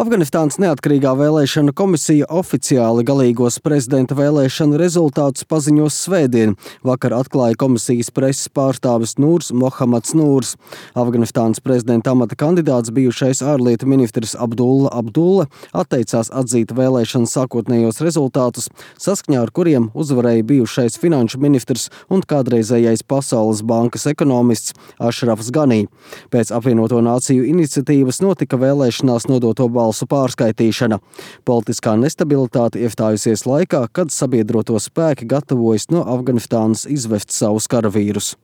Afganistānas neatkarīgā vēlēšanu komisija oficiāli galīgos prezidenta vēlēšanu rezultātus paziņos svētdien. Vakar atklāja komisijas preses pārstāvis Nūrs Mohammeds Nūrs. Afganistānas prezidenta amata kandidāts bijušais ārlietu ministrs Abdulla atteicās atzīt vēlēšanu sākotnējos rezultātus, saskaņā ar kuriem uzvarēja bijušais finanšu ministrs un kādreizējais Pasaules bankas ekonomists Ašrafs Ganī. Pēc apvienoto nāciju iniciatīvas notika vēlēšanās nodoto balsu pārskaitīšana. Politiskā nestabilitāte iestājusies laikā, kad sabiedroto spēki gatavojas no Afganistānas izvest savus karavīrus.